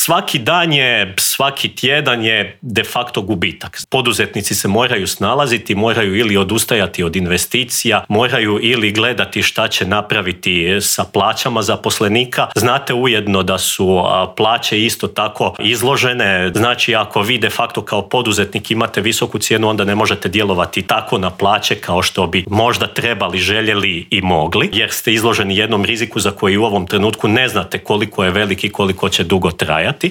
svaki dan je, svaki tjedan je de facto gubitak. Poduzetnici se moraju snalaziti, moraju ili odustajati od investicija, moraju ili gledati šta će napraviti sa plaćama zaposlenika. Znate ujedno da su plaće isto tako izložene, znači ako vi de facto kao poduzetnik imate visoku cijenu, onda ne možete djelovati tako na plaće kao što bi možda trebali, željeli i mogli, jer ste izloženi jednom riziku za koji u ovom trenutku ne znate koliko je veliki, koliko će dugo trajati.